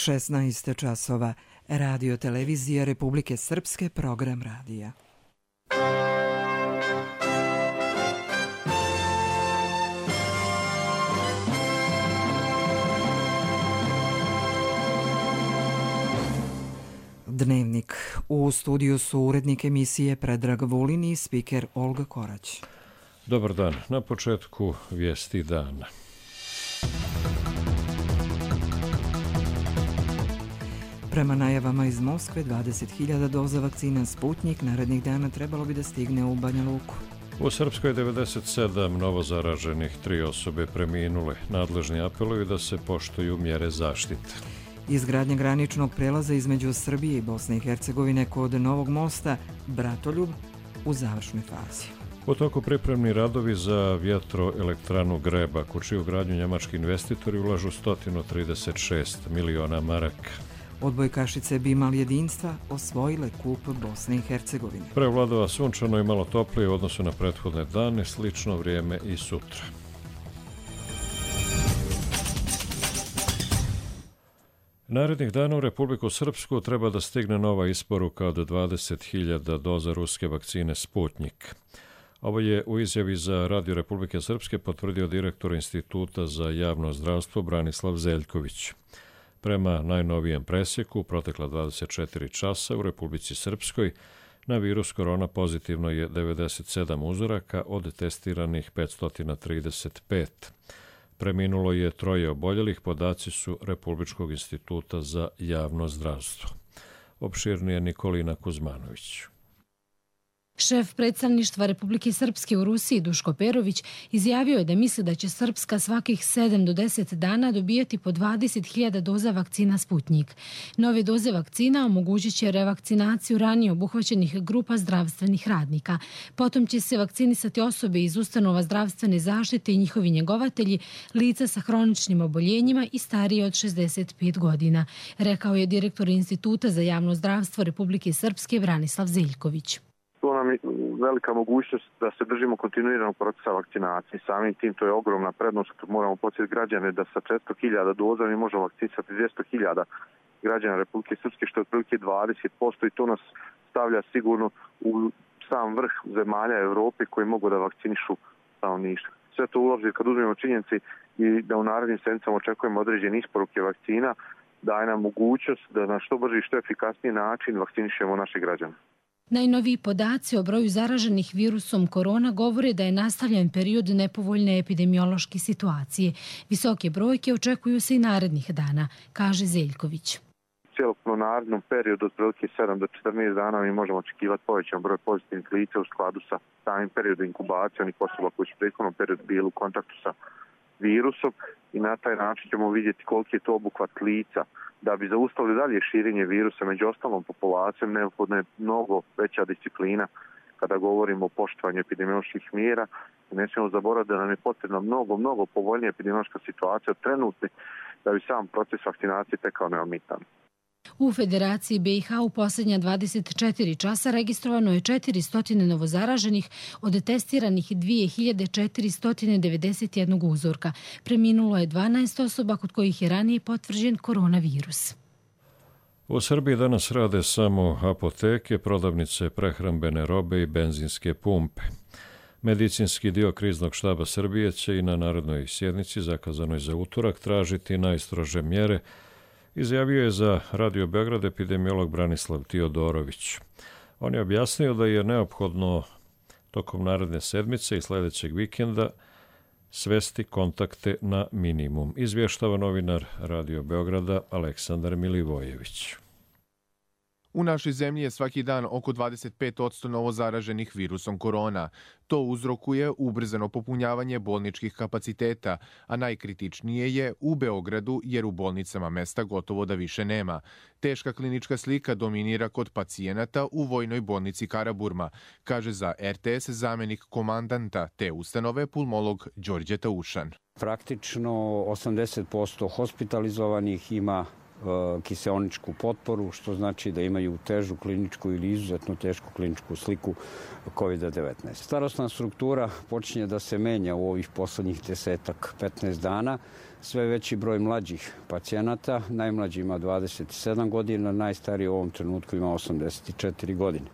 16 časova. Radio Televizija Republike Srpske, program radija. Dnevnik. U studiju su urednik emisije Predrag Vulin i spiker Olga Korać. Dobar dan. Na početku vijesti dana. Prema najavama iz Moskve, 20.000 doza vakcina Sputnjik narednih dana trebalo bi da stigne u Banja Luku. U Srpskoj 97 novozaraženih, 3 osobe preminule. Nadležni apeluju da se poštuju mjere zaštite. Izgradnja graničnog prelaza između Srbije i Bosne i Hercegovine kod Novog mosta Bratoljub u završnoj fazi. U toku pripremni radovi za vjetroelektranu Grebak, u čiju gradnju njemački investitori ulažu 136 miliona maraka. Odbojkašice Bimal jedinstva osvojile kup Bosne i Hercegovine. Prevladava sunčano i malo toplije u odnosu na prethodne dane, slično vrijeme i sutra. Narednih dana u Republiku Srpsku treba da stigne nova isporuka od 20.000 doza ruske vakcine Sputnjik. Ovo je u izjavi za Radio Republike Srpske potvrdio direktor Instituta za javno zdravstvo Branislav Zeljković. Prema najnovijem presjeku, protekla 24 časa u Republici Srpskoj na virus korona pozitivno je 97 uzoraka od testiranih 535. Preminulo je 3 oboljelih, podaci su Republičkog instituta za javno zdravstvo. Opširnije Nikolina Kuzmanović. Šef predstavništva Republike Srpske u Rusiji Duško Perović izjavio je da misli da će Srpska svakih 7 do 10 dana dobijati po 20.000 doza vakcina Sputnjik. Nove doze vakcina omogućit će revakcinaciju ranije obuhvaćenih grupa zdravstvenih radnika. Potom će se vakcinisati osobe iz ustanova zdravstvene zaštite i njihovi njegovatelji, lica sa hroničnim oboljenjima i starije od 65 godina, rekao je direktor Instituta za javno zdravstvo Republike Srpske Branislav Zeljković. To nam je velika mogućnost da se držimo kontinuiranog procesa vakcinacije. Samim tim to je ogromna prednost. Moramo podsjetiti građane da sa 400.000 doza mi možemo vakcinisati 200.000 građana Republike Srpske, što je otprilike 20%, i to nas stavlja sigurno u sam vrh zemalja Evrope koji mogu da vakcinišu stanovništvo. Sve to uloži kad uzmemo činjenici i da u narednim sedmicama očekujemo određene isporuke vakcina, daje nam mogućnost da na što brži i što efikasniji način vakcinišemo naše građane. Najnoviji podaci o broju zaraženih virusom korona govore da je nastavljen period nepovoljne epidemiološke situacije. Visoke brojke očekuju se i narednih dana, kaže Zeljković. Cijelokupno narednom periodu od prilike 7 do 14 dana mi možemo očekivati povećan broj pozitivnih lica u skladu sa samim periodom inkubacije onih osoba koji su u prethodnom periodu bili u kontaktu sa virusom, i na taj način ćemo vidjeti koliki je to obuhvat lica. Da bi zaustavili dalje širenje virusa među ostalom populacijom, neophodna je mnogo veća disciplina kada govorimo o poštovanju epidemioloških mjera. Ne smijemo zaboraviti da nam je potrebna mnogo povoljnija epidemiološka situacija od trenutne da bi sam proces vakcinacije tekao neometan. U Federaciji BiH u posljednja 24 časa registrovano je 400 novozaraženih od testiranih 2491 uzorka. Preminulo je 12 osoba kod kojih je ranije potvrđen koronavirus. U Srbiji danas rade samo apoteke, prodavnice prehrambene robe i benzinske pumpe. Medicinski dio kriznog štaba Srbije će i na narodnoj sjednici, zakazanoj za utorak, tražiti najstrože mjere, izjavio je za Radio Beograd epidemiolog Branislav Tiodorović. On je objasnio da je neophodno tokom naredne sedmice i sljedećeg vikenda svesti kontakte na minimum, izvještava novinar Radio Beograda Aleksandar Milivojević. U našoj zemlji je svaki dan oko 25% novozaraženih virusom korona. To uzrokuje ubrzano popunjavanje bolničkih kapaciteta, a najkritičnije je u Beogradu jer u bolnicama mesta gotovo da više nema. Teška klinička slika dominira kod pacijenata u Vojnoj bolnici Karaburma, kaže za RTS zamenik komandanta te ustanove pulmolog Đorđe Taušan. Praktično 80% hospitalizovanih ima kiseoničku potporu, što znači da imaju težu kliničku ili izuzetno tešku kliničku sliku COVID-19. Starosna struktura počinje da se menja u ovih poslednjih 10-15 dana. Sve veći broj mlađih pacijenata, najmlađi ima 27 godina, najstariji u ovom trenutku ima 84 godine.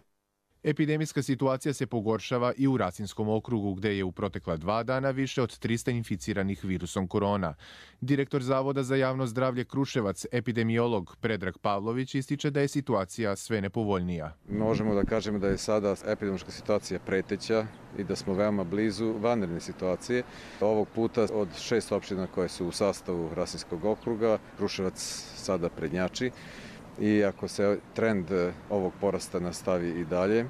Epidemijska situacija se pogoršava i u Rasinskom okrugu, gde je u protekla 2 dana više od 300 inficiranih virusom korona. Direktor Zavoda za javno zdravlje Kruševac, epidemiolog Predrag Pavlović, ističe da je situacija sve nepovoljnija. Možemo da kažemo da je sada epidemiološka situacija preteća i da smo veoma blizu vanredne situacije. Ovog puta od 6 opština koje su u sastavu Rasinskog okruga, Kruševac sada prednjači. I ako se trend ovog porasta nastavi i dalje,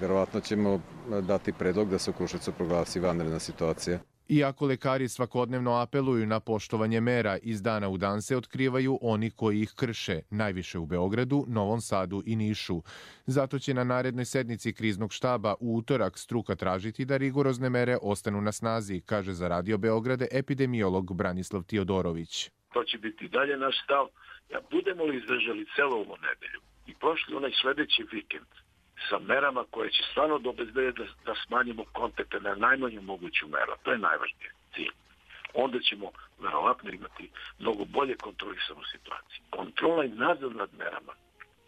verovatno ćemo dati predlog da se u Kruševcu proglasi vanredna situacija. Iako lekari svakodnevno apeluju na poštovanje mera, iz dana u dan se otkrivaju oni koji ih krše, najviše u Beogradu, Novom Sadu i Nišu. Zato će na narednoj sednici kriznog štaba u utorak struka tražiti da rigorozne mere ostanu na snazi, kaže za Radio Beograde epidemiolog Branislav Tiodorović. To će biti dalje naš stav. Ja budemo li izdržali celu ovu nedelju i prošli onaj sledeći vikend sa merama koje će stvarno obezbediti da smanjimo kontakte na najmanju moguću meru, to je najvažnije cilj. Onda ćemo verovatno imati mnogo bolje kontrolisanu situaciju. Kontrola i nadzor nad merama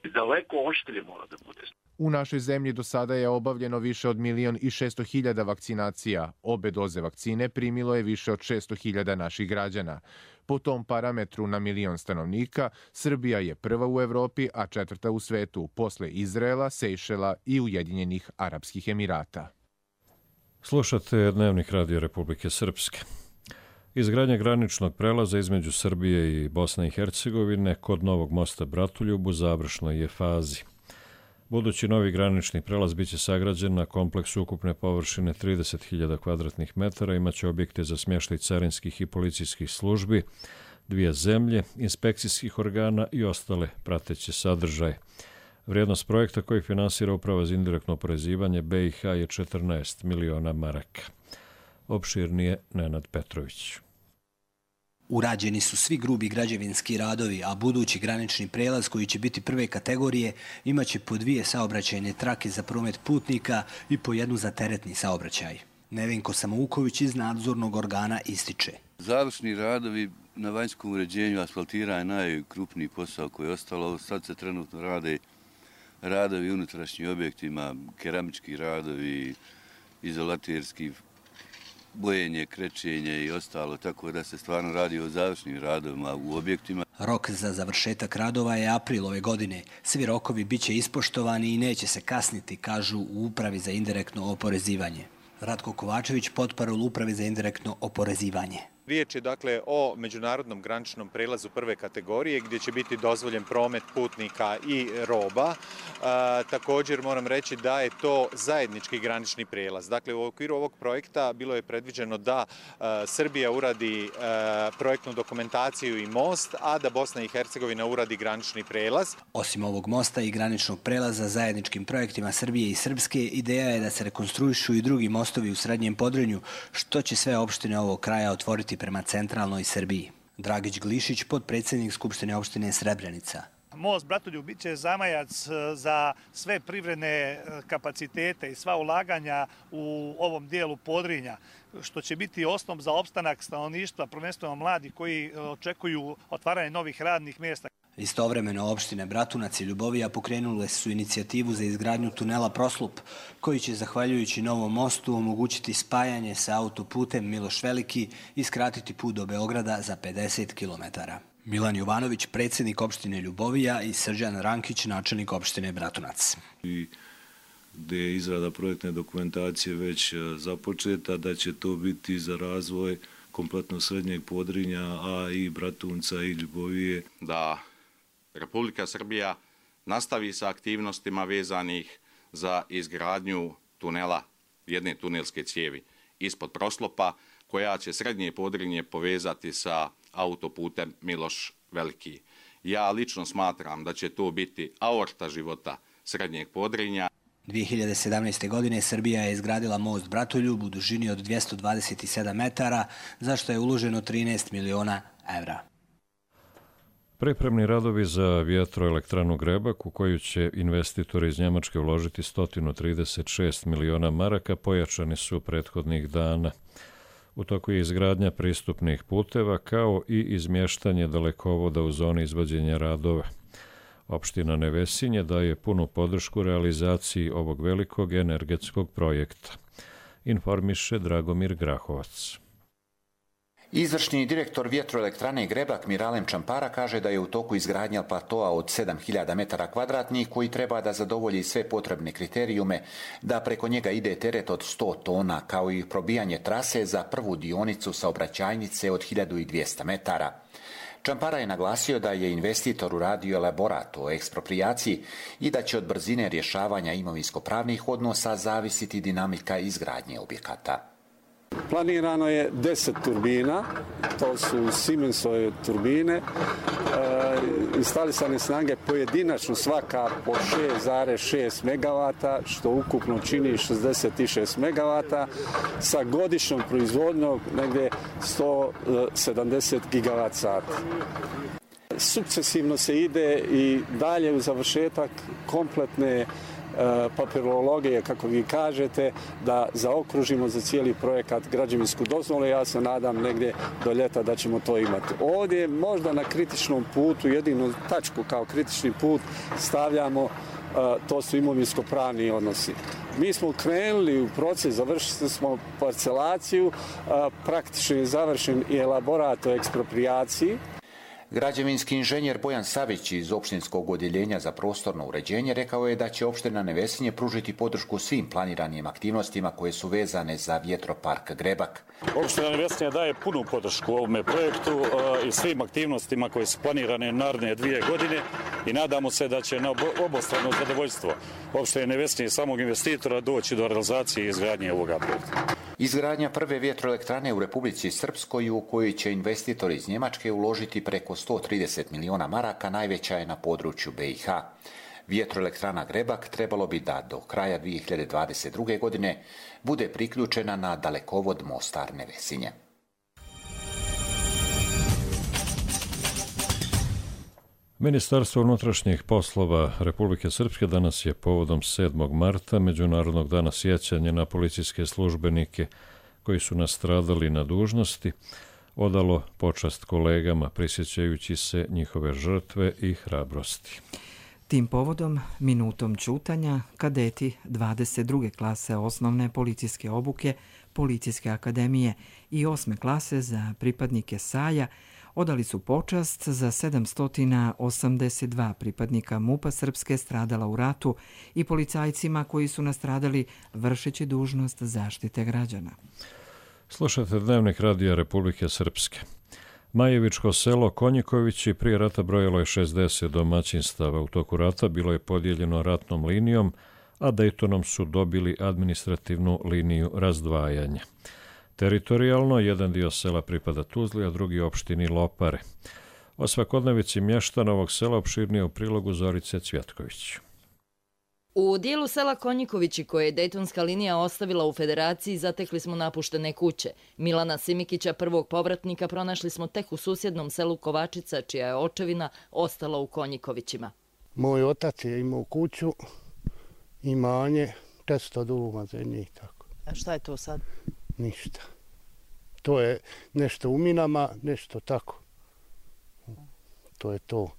i daleko oštrije mora da bude. U našoj zemlji do sada je obavljeno više od 1.600.000 vakcinacija. Obe doze vakcine primilo je više od 600.000 naših građana. Po tom parametru na 1.000.000 stanovnika, Srbija je prva u Evropi, a 4. u svetu, posle Izraela, Sejšela i Ujedinjenih Arapskih Emirata. Slušate Dnevnik Radio Republike Srpske. Izgradnja graničnog prelaza između Srbije i Bosne i Hercegovine kod Novog mosta Bratoljub u završnoj je fazi. Budući novi granični prelaz biće sagrađen na kompleksu ukupne površine 30.000 kvadratnih metara, imaće objekte za smještaj carinskih i policijskih službi, 2 zemlje, inspekcijskih organa i ostale prateće sadržaje. Vrijednost projekta koji finansira Uprava za indirektno oporezivanje BiH je 14 miliona maraka. Opširnije Nenad Petrović. Urađeni su svi grubi građevinski radovi, a budući granični prelaz koji će biti prve kategorije imaće po 2 saobraćajne trake za promet putnika i po 1 za teretni saobraćaj. Nevenko Samouković iz nadzornog organa ističe. Završni radovi na vanjskom uređenju asfaltira je najkrupniji posao koji je ostalo. Sad se trenutno rade radovi unutrašnjim objektima, keramički radovi, izolaterski, bojenje, krečenje i ostalo, tako da se stvarno radi o završnim radovima u objektima. Rok za završetak radova je april ove godine. Svi rokovi biće ispoštovani i neće se kasniti, kažu u Upravi za indirektno oporezivanje. Ratko Kovačević, potparol Upravi za indirektno oporezivanje. Riječ je dakle o međunarodnom graničnom prelazu prve kategorije gdje će biti dozvoljen promet putnika i roba. Također moram reći da je to zajednički granični prelaz. Dakle, u okviru ovog projekta bilo je predviđeno da Srbija uradi projektnu dokumentaciju i most, a da Bosna i Hercegovina uradi granični prelaz. Osim ovog mosta i graničnog prelaza zajedničkim projektima Srbije i Srpske, ideja je da se rekonstruišu i drugi mostovi u Srednjem Podrinju, što će sve opštine ovog kraja otvoriti prema centralnoj Srbiji. Dragić Glišić, potpredsjednik Skupštine opštine Srebrenica. Most Bratoljub bit će zamajac za sve privredne kapacitete i sva ulaganja u ovom dijelu Podrinja, što će biti osnov za opstanak stanovništva, prvenstveno mladih koji očekuju otvaranje novih radnih mjesta. Istovremeno opštine Bratunac i Ljubovija pokrenule su inicijativu za izgradnju tunela Proslup, koji će, zahvaljujući novom mostu, omogućiti spajanje sa autoputem Miloš Veliki i skratiti put do Beograda za 50 km. Milan Jovanović, predsjednik opštine Ljubovija, i Srđan Rankić, načelnik opštine Bratunac. Gde je izrada projektne dokumentacije već započeta, da će to biti za razvoj kompletno Srednjeg Podrinja, a i Bratunca i Ljubovije. Da Republika Srbija nastavi sa aktivnostima vezanih za izgradnju tunela, jedne tunelske cijevi ispod Proslopa, koja će Srednje Podrinje povezati sa autoputem Miloš Veliki. Ja lično smatram da će to biti aorta života Srednjeg Podrinja. 2017. godine Srbija je izgradila most Bratoljub u dužini od 227 metara, za što je uloženo 13 miliona evra. Pripremni radovi za vjetroelektranu Grebak, u koju će investitori iz Njemačke uložiti 136 miliona maraka, pojačani su prethodnih dana. U toku je izgradnja pristupnih puteva kao i izmještanje dalekovoda u zoni izvođenja radova. Opština Nevesinje daje punu podršku realizaciji ovog velikog energetskog projekta, informiše Dragomir Grahovac. Izvršni direktor vjetroelektrane Grebak Miralem Čampara kaže da je u toku izgradnja platoa od 7000 metara kvadratnih koji treba da zadovolji sve potrebne kriterijume, da preko njega ide teret od 100 tona, kao i probijanje trase za prvu dionicu saobraćajnice od 1200 metara. Čampara je naglasio da je investitor uradio elaborat o eksproprijaciji i da će od brzine rješavanja imovinsko-pravnih odnosa zavisiti dinamika izgradnje objekata. Planirano je 10 turbina, to su Siemensove turbine, instalisane snage pojedinačno svaka po 6,6 MW, što ukupno čini 66 MW, sa godišnjom proizvodnjom negdje 170 GWh. Sukcesivno se ide i dalje u završetak kompletne papirologije, kako vi kažete, da zaokružimo za cijeli projekat građevinsku dozvolu. Ja se nadam negdje do ljeta da ćemo to imati. Ovdje možda na kritičnom putu, jedinu tačku kao kritični put stavljamo, to su imovinsko-pravni odnosi. Mi smo krenuli u proces, završili smo parcelaciju, praktično je završen i elaborat o eksproprijaciji. Građevinski inženjer Bojan Savić iz opštinskog odjeljenja za prostorno uređenje rekao je da će opština Nevesinje pružiti podršku svim planiranim aktivnostima koje su vezane za vjetropark Grebak. Opština Nevesinje daje punu podršku ovome projektu i svim aktivnostima koje su planirane naredne 2 godine i nadamo se da će na obostrano zadovoljstvo opštine Nevesinje i samog investitora doći do realizacije i izgradnje ovoga projekta. Izgradnja prve vjetroelektrane u Republici Srpskoj, u kojoj će investitor iz Njemačke uložiti preko 130 miliona maraka, najveća je na području BiH. Vjetroelektrana Grebak trebalo bi da do kraja 2022. godine bude priključena na dalekovod Mostar Nevesinje. Ministarstvo unutrašnjih poslova Republike Srpske danas je povodom 7. marta, Međunarodnog dana sjećanja na policijske službenike koji su nastradali na dužnosti, odalo počast kolegama, prisjećajući se njihove žrtve i hrabrosti. Tim povodom, minutom ćutanja, kadeti 22. klase osnovne policijske obuke Policijske akademije i 8. klase za pripadnike SAJ-a odali su počast za 782 pripadnika MUP-a Srpske stradala u ratu i policajcima koji su nastradali vršeći dužnost zaštite građana. Slušate Dnevnik radija Republike Srpske. Majevičko selo Konjikovići prije rata brojalo je 60 domaćinstava. U toku rata bilo je podijeljeno ratnom linijom, a Dejtonom su dobili administrativnu liniju razdvajanja. Teritorijalno, jedan dio sela pripada Tuzli, a drugi opštini Lopare. O svakodnevici mještana ovog sela opširnije u prilogu Zorice Cvjetković. U dijelu sela Konjikovići, koje je Dejtonska linija ostavila u Federaciji, zatekli smo napuštene kuće. Milana Simikića, prvog povratnika, pronašli smo tek u susjednom selu Kovačica, čija je očevina ostala u Konjikovićima. Moj otac je imao kuću, imanje, 400 duma zemlje i tako. A šta je to sad? Ništa. To je nešto u minama, nešto tako. To je to.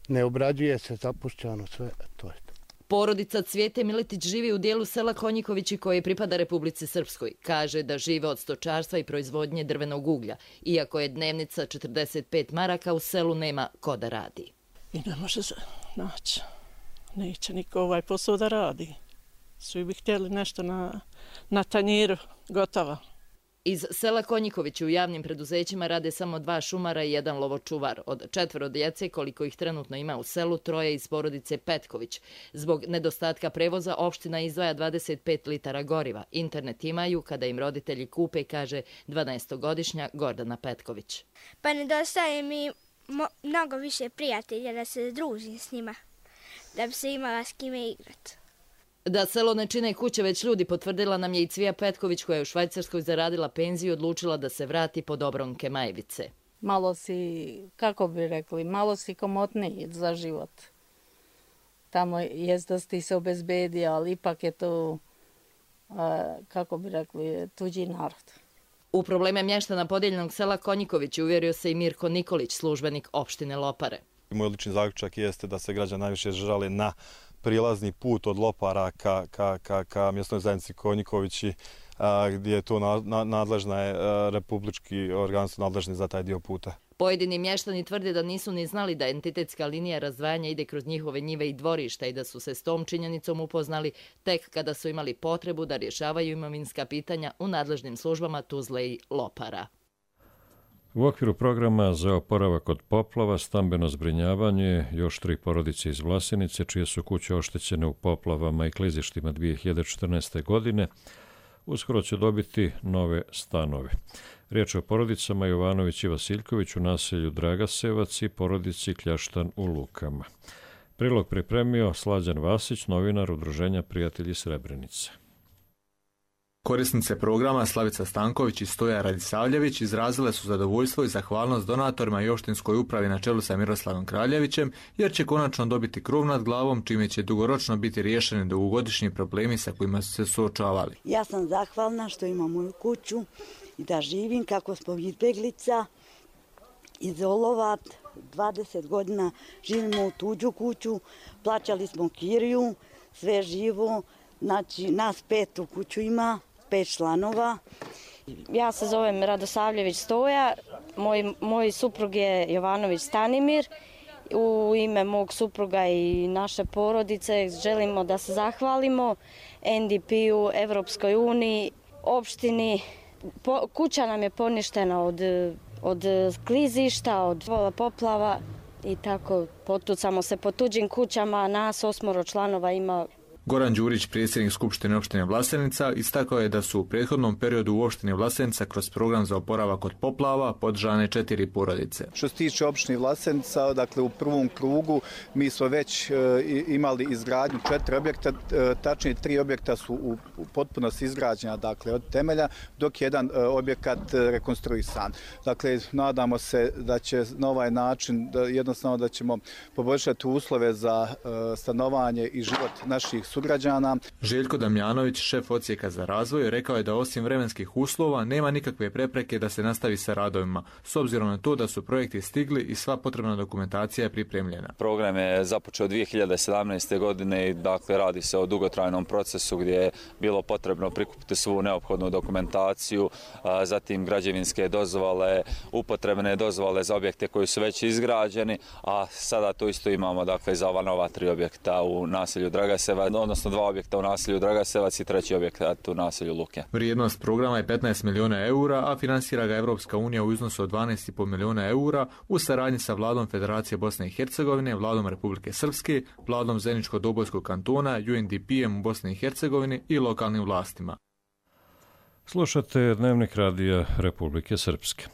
Ne obrađuje se, zapušćano sve, to je to. Porodica Cvijete Miletić živi u dijelu sela Konjikovići koje pripada Republici Srpskoj. Kaže da žive od stočarstva i proizvodnje drvenog uglja. Iako je dnevnica 45 maraka, u selu nema ko da radi. I ne može se naći. Neće niko ovaj posao da radi. Svi bi htjeli nešto na tanjiru, gotovo. Iz sela Konjikovići u javnim preduzećima rade samo 2 šumara i 1 lovočuvar. Od 4 djece, koliko ih trenutno ima u selu, 3 iz porodice Petković. Zbog nedostatka prevoza opština izdvaja 25 litara goriva. Internet imaju kada im roditelji kupe, kaže 12-godišnja Gordana Petković. Pa nedostaje mi mnogo više prijatelja da se družim s njima, da bi se imala s kime igrati. Da selo ne čine kuće, već ljudi, potvrdila nam je i Cvija Petković, koja je u Švajcarskoj zaradila penziju i odlučila da se vrati pod obronke Majevice. malo si, kako bi rekli, malo si komotniji za život. Tamo jest da ti se obezbedi, ali ipak je to, kako bi rekli, tuđi narod. U probleme mještana podijeljenog sela Konjiković uvjerio se i Mirko Nikolić, službenik opštine Lopare. Moj lični zaključak jeste da se građani najviše žale na prilazni put od Lopara ka mjesnoj zajednici Konjikovići, gdje je to nadležna je republički organ su nadležni za taj dio puta. Pojedini mještani tvrde da nisu ni znali da entitetska linija razdvajanja ide kroz njihove njive i dvorišta i da su se s tom činjenicom upoznali tek kada su imali potrebu da rješavaju imovinska pitanja u nadležnim službama Tuzle i Lopara. U okviru programa za oporavak od poplava, stambeno zbrinjavanje, još 3 porodice iz Vlasenice, čije su kuće oštećene u poplavama i klizištima 2014. godine, uskoro će dobiti nove stanove. Riječ je o porodicama Jovanović i Vasiljković u naselju Dragasevac i porodici Kljaštan u Lukama. Prilog pripremio Slađan Vasić, novinar Udruženja Prijatelji Srebrenice. Korisnice programa Slavica Stanković i Stoja Radisavljević izrazile su zadovoljstvo i zahvalnost donatorima i opštinskoj upravi na čelu sa Miroslavom Kraljevićem, jer će konačno dobiti krov nad glavom, čime će dugoročno biti riješeni dugogodišnji problemi sa kojima su se suočavali. Ja sam zahvalna što imam moju kuću i da živim kako smo izbjeglica iz Olovat. 20 godina živimo u tuđu kuću, plaćali smo kiriju, sve živo, znači nas 5 u kuću ima, 5 članova. Ja se zovem Radosavljević Stoja, moj suprug je Jovanović Stanimir. U ime mog supruga i naše porodice želimo da se zahvalimo NDP-u, Evropskoj uniji, opštini. Kuća nam je poništena od klizišta, od poplava i tako potucamo se po tuđim kućama, nas 8 članova ima. Goran Đurić, predsjednik Skupštine opštine Vlasenica, istakao je da su u prethodnom periodu u opštini Vlasenica kroz program za oporavak od poplava podržane 4 porodice. Što se tiče opštine Vlasenica, dakle u prvom krugu mi smo već imali izgradnju 4 objekta, tačnije 3 objekta su u potpunosti izgrađena, dakle od temelja, dok je jedan objekat rekonstruisan. Dakle, nadamo se da će na ovaj način, jednostavno da ćemo poboljšati uslove za stanovanje i život naših sugrađana. Željko Damjanović, šef odsjeka za razvoj, rekao je da osim vremenskih uslova nema nikakve prepreke da se nastavi sa radovima, s obzirom na to da su projekti stigli i sva potrebna dokumentacija je pripremljena. Program je započeo 2017. godine i dakle radi se o dugotrajnom procesu gdje je bilo potrebno prikupiti svu neophodnu dokumentaciju, zatim građevinske dozvole, upotrebne dozvole za objekte koji su već izgrađeni, a sada to isto imamo dakle za ova nova 3 objekta u naselju Dragasevac, odnosno 2 objekta u naselju Dragasevac i 3 objekat u naselju Luke. Vrijednost programa je 15 milijuna eura, a finansira ga Evropska unija u iznosu od 12,5 milijuna eura u saradnji sa vladom Federacije Bosne i Hercegovine, vladom Republike Srpske, vladom Zeničko-Dobojskog kantona, UNDP-em u Bosni i Hercegovini i lokalnim vlastima. Slušate Dnevnik radija Republike Srpske.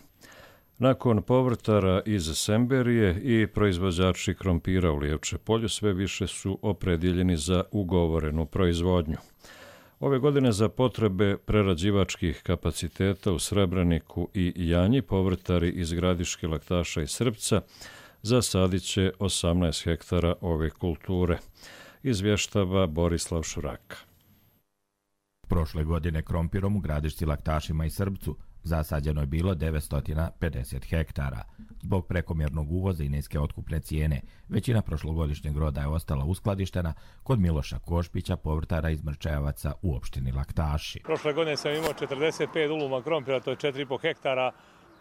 Nakon povrtara iz Semberije i proizvođači krompira u Lijevče polju sve više su opredjeljeni za ugovorenu proizvodnju. Ove godine za potrebe prerađivačkih kapaciteta u Srebreniku i Janji povrtari iz Gradiške, Laktaša i Srpca zasadit će 18 hektara ove kulture, izvještava Borislav Šuraka. Prošle godine krompirom u Gradišci, Laktašima i Srpcu zasađeno je bilo 950 hektara. Zbog prekomjernog uvoza i niske otkupne cijene, većina prošlogodišnjeg roda je ostala uskladištena kod Miloša Košpića, povrtara iz Mrčajevaca u opštini Laktaši. Prošle godine sam imao 45 uluma krompira, to je 4,5 hektara.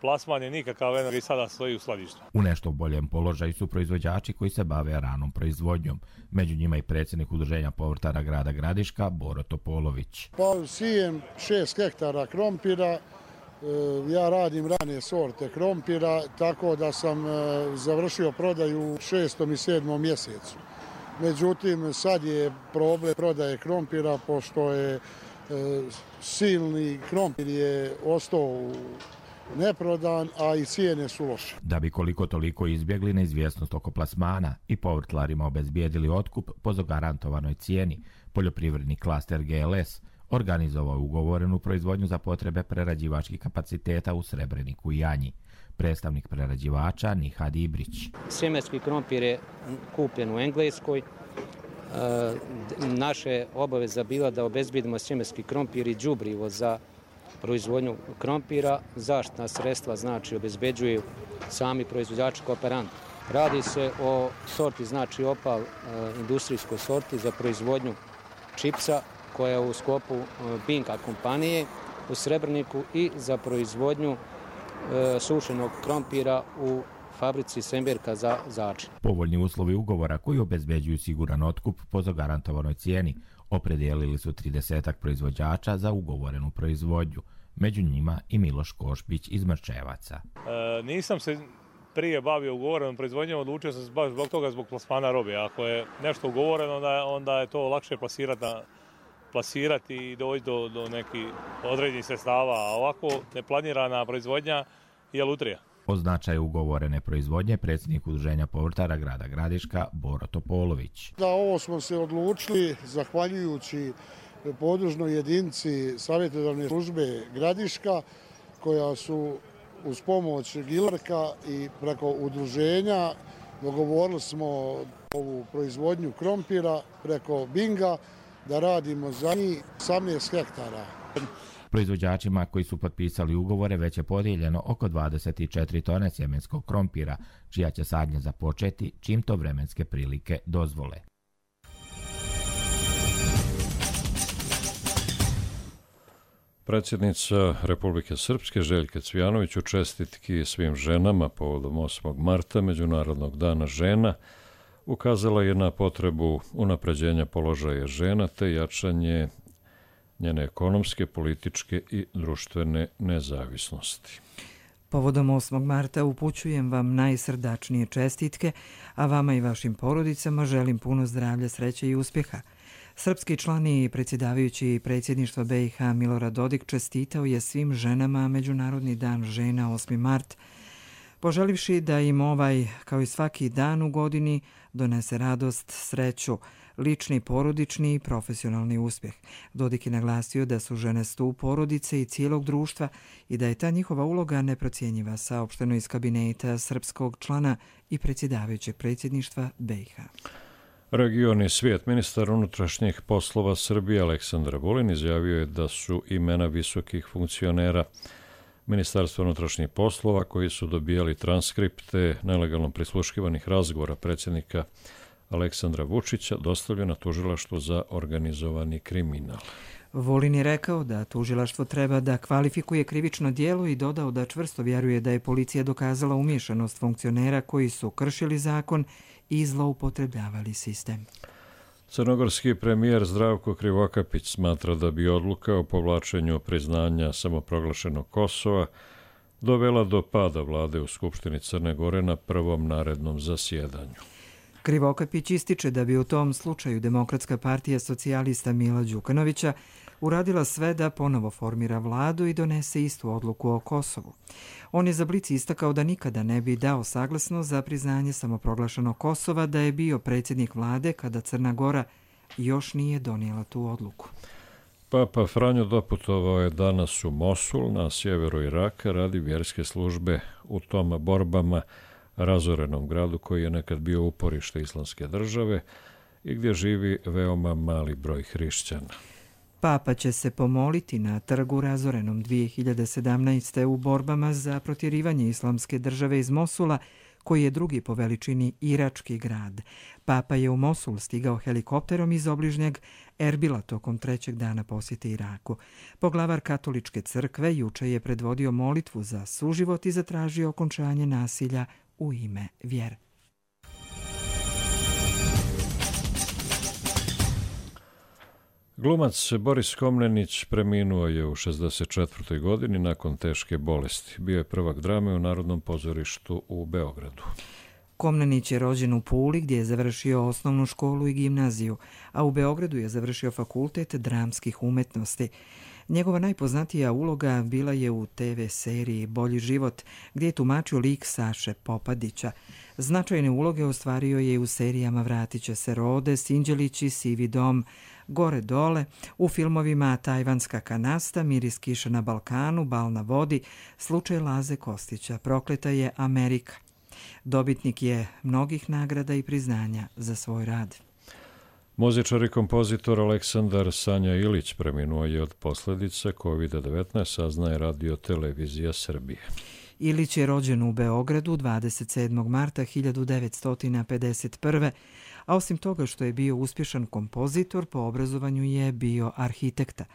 Plasman je nikakav i sada stoji u skladištu. U nešto boljem položaju su proizvođači koji se bave ranom proizvodnjom. Među njima i predsjednik Udruženja povrtara grada Gradiška, Boro Topolović. Pa sijem 6 hektara krompira. Ja radim rane sorte krompira, tako da sam završio prodaju u 6. i 7. mjesecu. Međutim, sad je problem prodaje krompira, pošto je silni krompir je ostao neprodan, a i cijene su loše. Da bi koliko toliko izbjegli neizvjesnost oko plasmana i povrtlarima obezbijedili otkup po zagarantovanoj cijeni, poljoprivredni klaster GLS organizovao ugovorenu proizvodnju za potrebe prerađivačkih kapaciteta u Srebreniku i Janji. Predstavnik prerađivača Nihad Ibrić. Sjemenski krompir je kupljen u Engleskoj. Naša obaveza bila da obezbedimo sjemenski krompir i đubrivo za proizvodnju krompira. Zaštitna sredstva znači obezbeđuju sami proizvođači kooperanti. Radi se o sorti, znači opal, industrijskoj sorti za proizvodnju čipsa koja je u sklopu Binka kompanije u Srebrniku i za proizvodnju sušenog krompira u fabrici Semberka za Začin. Povoljni uslovi ugovora koji obezbeđuju siguran otkup po zagarantovanoj cijeni opredijelili su 30 proizvođača za ugovorenu proizvodnju, među njima i Miloš Košpić iz Mrčevaca. Nisam se prije bavio ugovorenom proizvodnjom, odlučio sam se baš zbog toga, zbog plasmana robe. Ako je nešto ugovoreno, onda je to lakše plasirati i doći do nekih određenih sredstava, a ovako neplanirana proizvodnja je lutrija. O značaju ugovorene proizvodnje predsjednik Udruženja povrtara grada Gradiška Boro Topolović. Da, ovo smo se odlučili zahvaljujući podružnoj jedinici savjetodavne službe Gradiška, koja su uz pomoć Gilarka i preko udruženja dogovorili smo ovu proizvodnju krompira preko Binga da radimo za njih 18 hektara. Proizvođačima koji su potpisali ugovore već je podijeljeno oko 24 tone sjemenskog krompira, čija će sadnja započeti čim to vremenske prilike dozvole. Predsjednica Republike Srpske Željka Cvijanović u čestitki svim ženama povodom 8. marta, Međunarodnog dana žena, ukazala je na potrebu unapređenja položaja žena te jačanje njene ekonomske, političke i društvene nezavisnosti. Povodom 8. marta upućujem vam najsrdačnije čestitke, a vama i vašim porodicama želim puno zdravlja, sreće i uspjeha. Srpski član i predsjedavajući predsjedništva BiH Milorad Dodik čestitao je svim ženama Međunarodni dan žena 8. mart, poželivši da im ovaj, kao i svaki dan u godini, donese radost, sreću, lični, porodični i profesionalni uspjeh. Dodik je naglasio da su žene stup porodice i cijelog društva i da je ta njihova uloga neprocjenjiva, saopšteno iz kabineta srpskog člana i predsjedavajućeg predsjedništva BiH. Region i svijet. Ministar unutrašnjih poslova Srbije Aleksandar Vulin izjavio je da su imena visokih funkcionera Ministarstva unutrašnjih poslova koji su dobijali transkripte nelegalno prisluškivanih razgovora predsjednika Aleksandra Vučića dostavljena tužilaštvu za organizovani kriminal. Vulin je rekao da tužilaštvo treba da kvalifikuje krivično djelo i dodao da čvrsto vjeruje da je policija dokazala umiješanost funkcionera koji su kršili zakon i zloupotrebljavali sistem. Crnogorski premijer Zdravko Krivokapić smatra da bi odluka o povlačenju priznanja samoproglašenog Kosova dovela do pada vlade u Skupštini Crne Gore na prvom narednom zasjedanju. Krivokapić ističe da bi u tom slučaju Demokratska partija socijalista Mila Đukanovića uradila sve da ponovo formira vladu i donese istu odluku o Kosovu. On je za Blic istakao da nikada ne bi dao saglasnost za priznanje samoproglašenog Kosova da je bio predsjednik vlade kada Crna Gora još nije donijela tu odluku. Papa Franjo doputovao je danas u Mosul na sjeveru Iraka radi vjerske službe u tom borbama razorenom gradu koji je nekad bio uporište islamske države i gdje živi veoma mali broj hrišćana. Papa će se pomoliti na trgu razorenom 2017. u borbama za protjerivanje islamske države iz Mosula, koji je drugi po veličini irački grad. Papa je u Mosul stigao helikopterom iz obližnjeg Erbila tokom 3. dana posjete Iraku. Poglavar katoličke crkve juče je predvodio molitvu za suživot i zatražio okončanje nasilja u ime vjere. Glumac Boris Komnenić preminuo je u 64. godini nakon teške bolesti. Bio je prvak drame u Narodnom pozorištu u Beogradu. Komnenić je rođen u Puli gdje je završio osnovnu školu i gimnaziju, a u Beogradu je završio fakultet dramskih umetnosti. Njegova najpoznatija uloga bila je u TV seriji Bolji život, gdje je tumačio lik Saše Popadića. Značajne uloge ostvario je i u serijama Vratit će se Rode, Sinđelići, Sivi dom, Gore dole, u filmovima Tajvanska kanasta, Miris kiše na Balkanu, Bal na vodi, Slučaj Laze Kostića, Prokleta je Amerika. Dobitnik je mnogih nagrada i priznanja za svoj rad. Muzičar i kompozitor Aleksandar Sanja Ilić preminuo je od posljedica COVID-19, saznaje Radio Televizija Srbije. Ilić je rođen u Beogradu 27. marta 1951. A osim toga što je bio uspješan kompozitor, po obrazovanju je bio arhitekta.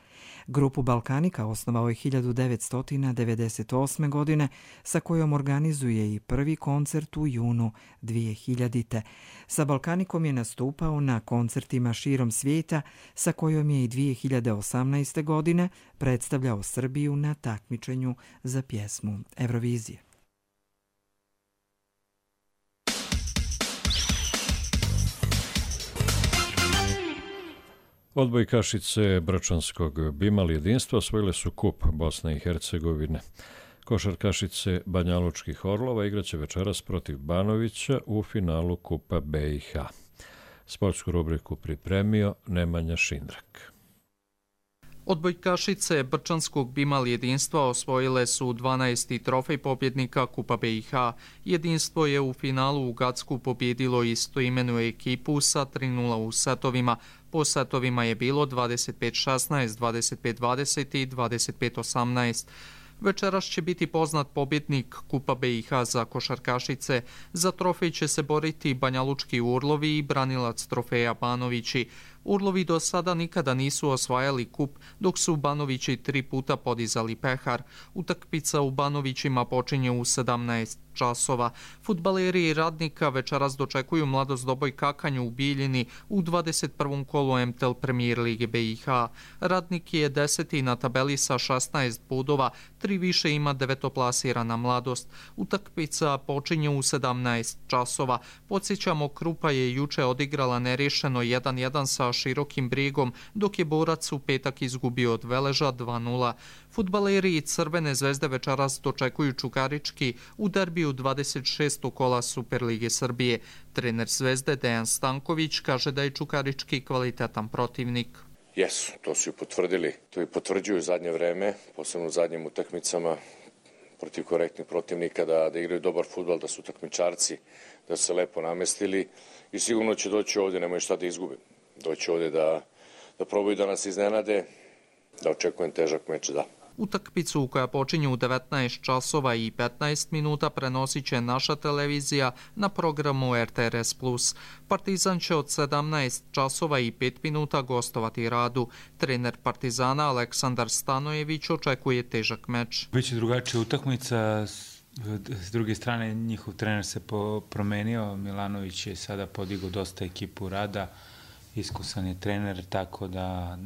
Grupu Balkanika osnovao je 1998. godine, sa kojom organizuje i prvi koncert u junu 2000. Sa Balkanikom je nastupao na koncertima širom svijeta, sa kojom je i 2018. godine predstavljao Srbiju na takmičenju za pjesmu Eurovizije. Odbojkašice Brčanskog Bimal jedinstva osvojile su kup Bosne i Hercegovine. Košarkašice Banjalučkih Orlova igraće večeras protiv Banovića u finalu kupa BiH. Sportsku rubriku pripremio Nemanja Šindrak. Odbojkašice Brčanskog Bimal jedinstva osvojile su 12. trofej pobjednika Kupa BiH. Jedinstvo je u finalu u Gacku pobjedilo istoimenu ekipu sa 3:0 u setovima. Po setovima je bilo 25-16, 25-20 i 25-18. Večeras će biti poznat pobjednik Kupa BiH za košarkašice. Za trofej će se boriti Banjalučki Urlovi i branilac trofeja Banovići. Urlovi do sada nikada nisu osvajali kup, dok su Banovići 3 puta podizali pehar. Utakmica u Banovićima počinje u 17 časova. Fudbaleri Radnika večeras dočekuju Mladost Doboj Kakanju u Bijeljini u 21. kolu MTEL Premier Lige BiH. Radnik je 10. na tabeli sa 16 bodova, 3 više ima devetoplasirana Mladost. Utakmica počinje u 17 časova. Podsjećamo, Krupa je juče odigrala nerješeno 1:1 sa Širokim Brijegom, dok je Borac u petak izgubio od Veleža 2:0. Fudbaleri Crvene zvezde večeras dočekuju Čukarički u derbiju 26. kola Superlige Srbije. Trener Zvezde Dejan Stanković kaže da je Čukarički kvalitetan protivnik. Jesu, to su i potvrdili. To i potvrđuju u zadnje vreme, posebno u zadnjim utakmicama protiv korektnih protivnika, da igraju dobar fudbal, da su takmičarci, da su se lepo namestili i sigurno će doći ovdje, nemaju šta da izgube. Doći ovdje da probaju da nas iznenade, da očekujem težak meč, da. Utakmicu koja počinje u 19 časova i 15 minuta prenosit će naša televizija na programu RTRS+. Partizan će od 17 časova i 5 minuta gostovati Radu. Trener Partizana Aleksandar Stanojević očekuje težak meč. Biće drugačija utakmica. S druge strane, njihov trener se promenio. Milanović je sada podigao dosta ekipu Rada. Iskusan je trener, tako da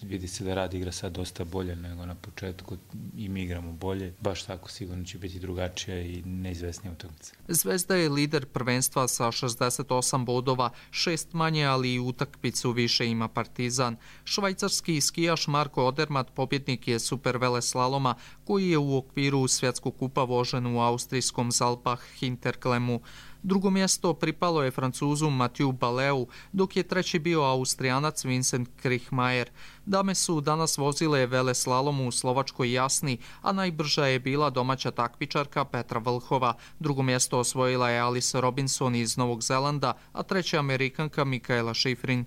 vidi se da Rad igra sad dosta bolje nego na početku i mi igramo bolje. Baš tako sigurno će biti drugačija i neizvesnija utakmica. Zvezda je lider prvenstva sa 68 bodova, 6 manje, ali i utakmicu više ima Partizan. Švajcarski skijaš Marko Odermatt pobjednik je super veleslaloma koji je u okviru svjetskog kupa vožen u austrijskom Zalbach Hinterklemu. Drugo mjesto pripalo je Francuzu Mathieu Baleu, dok je treći bio Austrijanac Vincent Krichmajer. Dame su danas vozile veleslalom u Slovačkoj Jasni, a najbrža je bila domaća takmičarka Petra Vlhova. Drugo mjesto osvojila je Alice Robinson iz Novog Zelanda, a treća Amerikanka Mikaela Schifrin.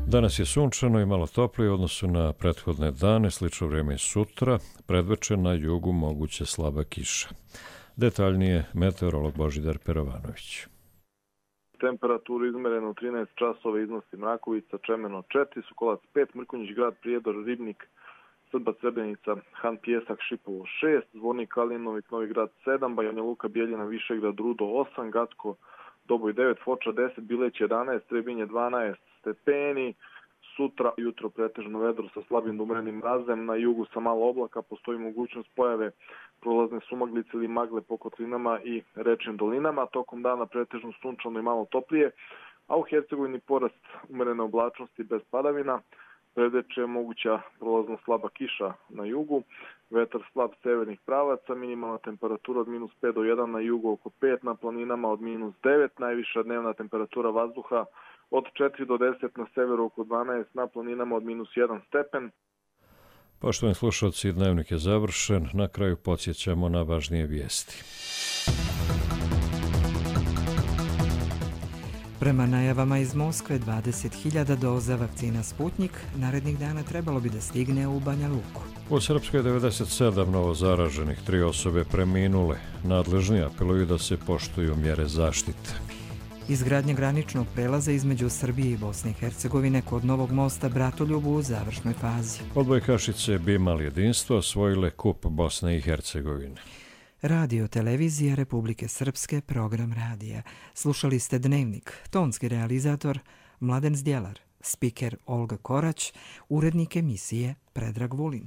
Danas je sunčano i malo toplije u odnosu na prethodne dane, slično vrijeme i sutra, predveče na jugu moguće slaba kiša. Detaljnije meteorolog Božidar Perovanović. Temperaturu izmerenu 13 časova iznosi Mrakovica, Čemeno 4, Sokolac 5, Mrkonjić grad, Prijedor, Ribnik, Srba, Srebrenica, Han Pijesak, Šipovo 6, Zvornik, Kalinovik, Novi grad 7, Banja Luka, Bijeljina, Višegrad, Rudo 8, Gatko, Doboj 9, Foča 10, Bileć 11, Trebinje 12 stepeni. Sutra jutro pretežno vedro sa slabim do umerenim mrazem, na jugu sa malo oblaka, postoji mogućnost pojave prolazne sumaglice ili magle po kotlinama i rečnim dolinama. Tokom dana pretežno sunčano i malo toplije. a u Hercegovini porast umerene oblačnosti bez padavina. Predveče je moguća prolazno slaba kiša na jugu, vetar slab severnih pravaca, minimalna temperatura od -5 do 1 na jugu oko 5, na planinama od -9, najviša dnevna temperatura vazduha od 4 do 10 na severu oko 12, na planinama od -1 stepen. Poštovani slušalci, dnevnik je završen. Na kraju podsjećamo na važnije vijesti. Prema najavama iz Moskve, 20.000 doza vakcina Sputnik narednih dana trebalo bi da stigne u Banja Luku. U Srpskoj 97 novo zaraženih, 3 osobe preminule. Nadležni apeluju da se poštuju mjere zaštite. Izgradnja graničnog prelaza između Srbije i Bosne i Hercegovine kod Novog mosta Bratoljubu u završnoj fazi. Odbojkašice Bimal jedinstvo osvojile kup Bosne i Hercegovine. Radio televizija Republike Srpske, program radija. Slušali ste Dnevnik, tonski realizator Mladen Zdjelar, spiker Olga Korać, urednik emisije Predrag Vulin.